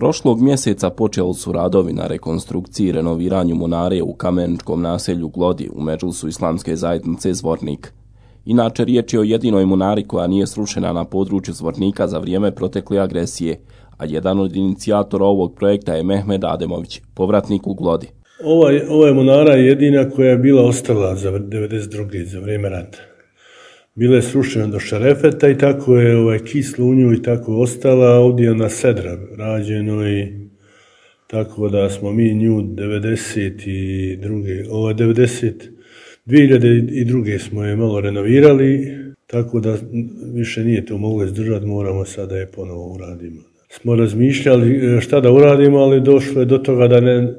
Prošlog mjeseca počeli su radovi na rekonstrukciji i renoviranju munare u kameničkom naselju Glodi u Medžlisu islamske zajednice Zvornik. Inače, riječ je o jedinoj munari koja nije srušena na području Zvornika za vrijeme protekle agresije, a jedan od inicijatora ovog projekta je Mehmed Ademović, povratnik u Glodi. Ova je munara jedina koja je bila ostala za 92. za vrijeme rata. Bila je srušena do šarefeta i tako je kislo u nju i tako ostala, a ovdje je na sedra rađeno i tako da smo mi nju 2002. smo je malo renovirali, tako da više nije to moglo izdržati, moramo sada je ponovo uradimo. Smo razmišljali šta da uradimo, ali došlo je do toga da ne,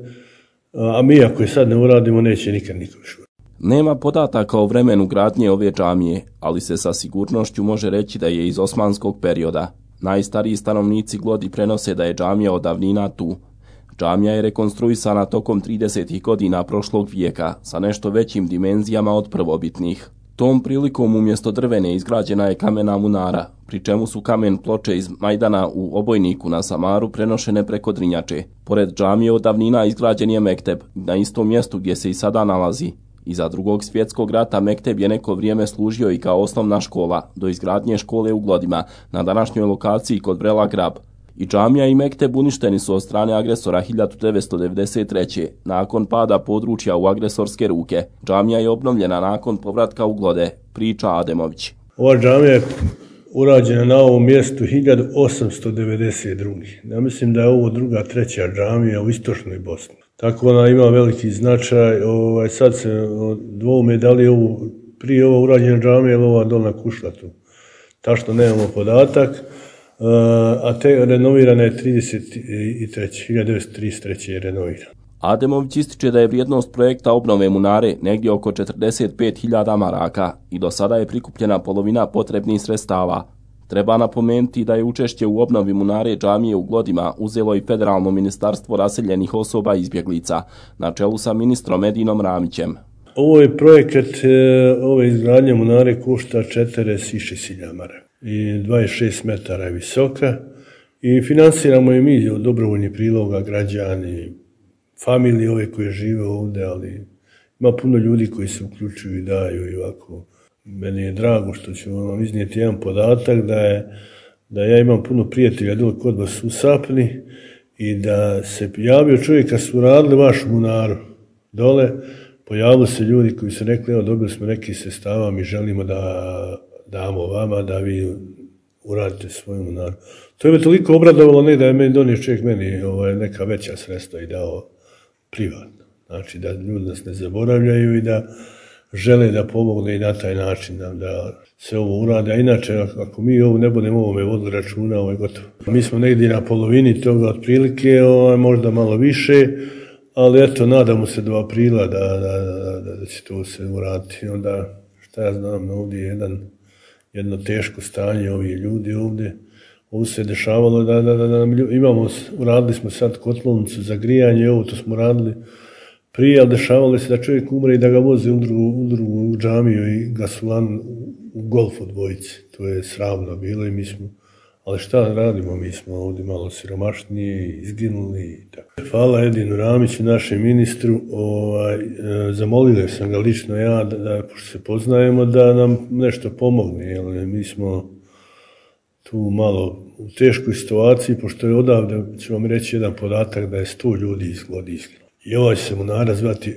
a mi ako je sad ne uradimo, neće nikad niko više. Nema podataka o vremenu gradnje ove džamije, ali se sa sigurnošću može reći da je iz osmanskog perioda. Najstariji stanovnici Glodi prenose da je džamija od davnina tu. Džamija je rekonstruisana tokom 30. godina prošlog vijeka sa nešto većim dimenzijama od prvobitnih. Tom prilikom umjesto drvene izgrađena je kamena munara, pri čemu su kamen ploče iz Majdana u Obojniku na Samaru prenošene preko Drinjače. Pored džamije od davnina izgrađen je mekteb na istom mjestu gdje se i sada nalazi. Iza Drugog svjetskog rata mekteb je neko vrijeme služio i kao osnovna škola, do izgradnje škole u Glodima, na današnjoj lokaciji kod Brela Grab. I džamija i mekteb uništeni su od strane agresora 1993. nakon pada područja u agresorske ruke. Džamija je obnovljena nakon povratka u Glode, priča Ademović. Ova džamija je urađena na ovom mjestu 1892. Ja mislim da je ovo treća džamija u istočnoj Bosni. Tako ona ima veliki značaj. Sad se dvoume da li je prije ova urađena džamija ili ova dolna Kušlatu. Tačno nemamo podatak. A te renovirana je 1933. je renovirana. Ademović ističe da je vrijednost projekta obnove munare negdje oko 45.000 maraka i do sada je prikupljena polovina potrebnih sredstava. Treba napomenuti da je učešće u obnovi munare džamije u Glodima uzelo i Federalno ministarstvo raseljenih osoba i izbjeglica, na čelu sa ministrom Edinom Ramićem. Ovo je projekat, ove izgradnje munare košta 46.000 maraka i 26 metara je visoka i financiramo je mi od dobrovoljnih priloga, građani, familije ove koje žive ovdje, ali ima puno ljudi koji se uključuju i daju i ovako. Meni je drago što ću vam iznijeti jedan podatak da ja imam puno prijatelja dole kod vas u Sapni i da se javio čovjek kad su radili vašu munaru dole, pojavili se ljudi koji su rekli, evo dobili smo neki sredstava, mi želimo da damo vama da vi uradite svoju munaru. To je me toliko obradovalo, ne da je meni donio čovjek meni neka veća sredstva i dao privatno. Znači da ljudi nas ne zaboravljaju i da žele da pomogne i na taj način da se ovo urade. A inače, ako mi ovo ne budemo ovome vodili računa, ovo je gotovo. Mi smo negdje na polovini toga otprilike, možda malo više, ali eto, nadamo se do aprila da će to se uraditi. Onda, šta ja znam, ovdje je jedno teško stanje, ovi ljudi ovdje. Ovo se dešavalo da uradili smo sad kotlovnicu za grijanje, ovo to smo radili prije, ali dešavalo se da čovjek umre i da ga voze u drugu džamiju i gasolan u golf od dvojice. To je sramno bilo i mi smo, ali šta radimo, mi smo ovdje malo siromašniji, izginuli i tako. Hvala Edinu Ramiću, našem ministru, zamolio sam ga lično ja, pošto se poznajemo, da nam nešto pomogne, jer mi smo tu malo u teškoj situaciji, pošto je odavde, ću vam reći jedan podatak, da je 100 ljudi iz Glodi izginulo. I ova će se munara zvati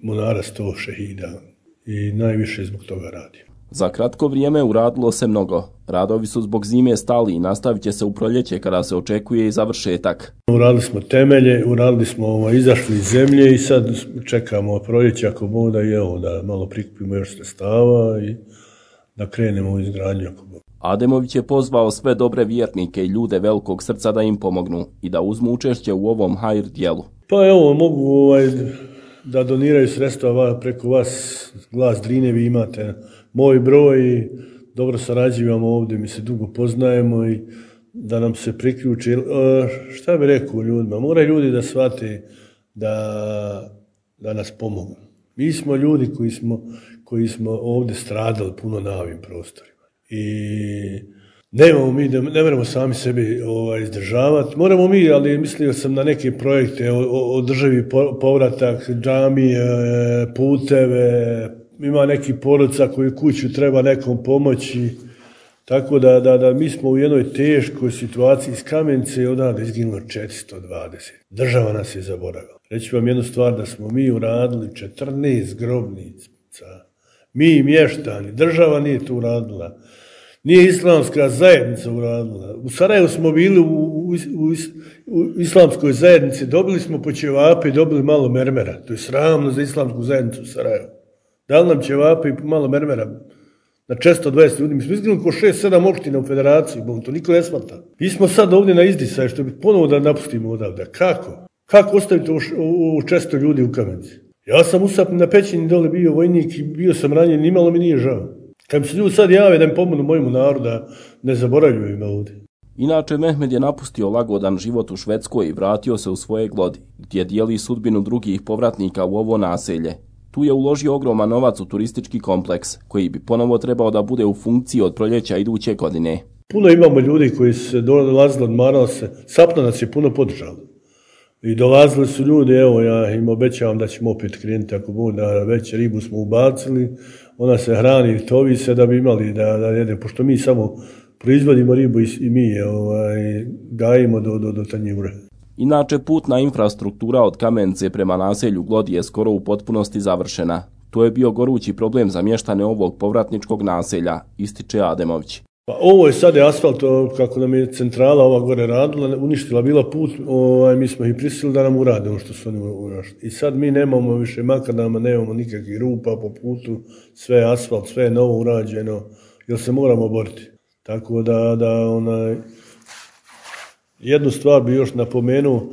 munara 100 šehida i najviše zbog toga radi. Za kratko vrijeme uradilo se mnogo. Radovi su zbog zime stali i nastavit će se u proljeće kada se očekuje i završetak. Uradili smo temelje, uradili smo izašli iz zemlje i sad čekamo proljeće ako Bog da da malo prikupimo još sredstava i da krenemo u izgradnju ako Bog. Ademović je pozvao sve dobre vjernike i ljude velikog srca da im pomognu i da uzmu učešće u ovom hajr djelu. Pa evo, mogu da doniraju sredstva preko vas, Glas Drine, vi imate moj broj i dobro sarađujemo ovdje, mi se dugo poznajemo i da nam se priključi. Šta bi rekao ljudima? Moraju ljudi da shvate da nas pomognu. Mi smo ljudi koji smo ovdje stradali puno na ovim prostorima. I Nemamo mi, ne moramo sami sebi izdržavati. Moramo mi, ali mislio sam na neke projekte, održivi povratak, džamije, puteve, ima neki porodica koji kuću treba nekom pomoći. Tako da mi smo u jednoj teškoj situaciji. Iz Kamenice je odavde izginulo 420. Država nas je zaboravila. Reći vam jednu stvar, da smo mi uradili 14 grobnica. Mi mještani, država nije to uradila. Nije islamska zajednica uradila. U Sarajevu smo bili u islamskoj zajednici, dobili smo po ćevape i dobili malo mermera. To je sramno za islamsku zajednicu u Sarajevu. Dali nam ćevape i malo mermera na 420 ljudi. Mi smo izgledali ko 6-7 opština u federaciji, to niko ne smata. Mi smo sad ovdje na izdisaju, što bi ponovo da napustimo odavde. Kako? Kako ostaviti u 400 ljudi u Kamenici? Ja sam usapni na Pećini dole bio vojnik i bio sam ranjen, nimalo mi nije žao. Kad mi se ljudi sad jave da mi pomognu mojemu narodu, da ne zaboravljuju me ovdje. Inače, Mehmed je napustio lagodan život u Švedskoj i vratio se u svoje Glodi, gdje dijeli sudbinu drugih povratnika u ovo naselje. Tu je uložio ogroman novac u turistički kompleks, koji bi ponovo trebao da bude u funkciji od proljeća iduće godine. Puno imamo ljudi koji su dolazili, odmarali se, Sapna nas je puno podržala. I dolazili su ljudi, evo ja im obećavam da ćemo opet krenuti, ako bude, da već ribu smo ubacili, ona se hrani, tovi se da bi imali da jede, pošto mi samo proizvodimo ribu i mi je gajimo do tanjure. Inače, putna infrastruktura od Kamenice prema naselju Glodi je skoro u potpunosti završena. To je bio gorući problem za mještane ovog povratničkog naselja, ističe Ademović. Pa ovo je sad asfalt, kako nam je centrala ova gore radila, uništila bila put, mi smo ih prisilili da nam urade ono što su oni urašli. I sad mi nemamo više makadama, nemamo nikakvih rupa po putu, sve je asfalt, sve je novo urađeno, jer se moramo boriti. Tako da jednu stvar bi još napomenuo,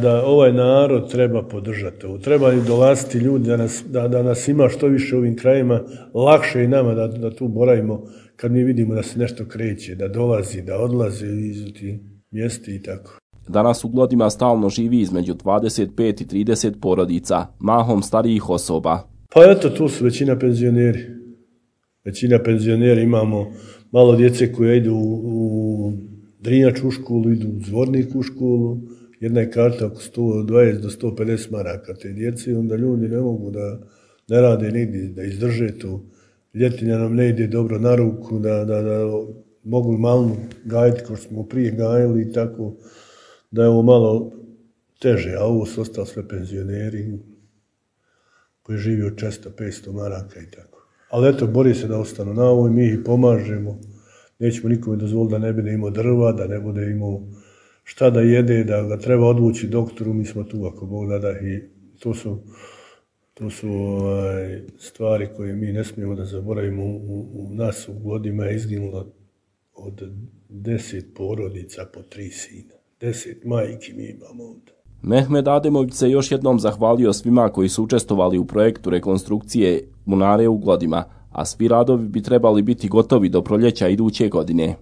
da ovaj narod treba podržati ovo. Treba i dolaziti ljudi da nas ima što više u ovim krajima, lakše i nama da tu boravimo kad mi vidimo da se nešto kreće, da dolazi, da odlazi iz tih mjesta i tako. Danas u Glodima stalno živi između 25 i 30 porodica, mahom starijih osoba. Pa eto, tu su većina penzioneri. Većina penzioneri, imamo malo djece koje idu u Drinjačku školu, idu u Zvornik u školu, jedna je karta oko 120 do 150 maraka te djece, onda ljudi ne mogu da ne rade nigdje, da izdrže to. Ljetinja nam ne ide dobro na ruku, da mogu malo gajiti kao što smo prije gajili i tako, da je ovo malo teže, a ovo su ostali sve penzioneri koji živi od 400-500 maraka i tako. Ali eto, bori se da ostanu na ovoj, mi ih pomažemo, nećemo nikome dozvoliti da ne bude imao drva, da ne bude imao šta da jede, da ga treba odvući doktoru, mi smo tu ako Bog da i to su stvari koje mi ne smijemo da zaboravimo. U nas u Glodima je izginulo od 10 porodica po 3 sina. 10 majki mi imamo ovdje. Mehmed Ademović se još jednom zahvalio svima koji su učestvovali u projektu rekonstrukcije bunare u Glodima, a svi radovi bi trebali biti gotovi do proljeća iduće godine.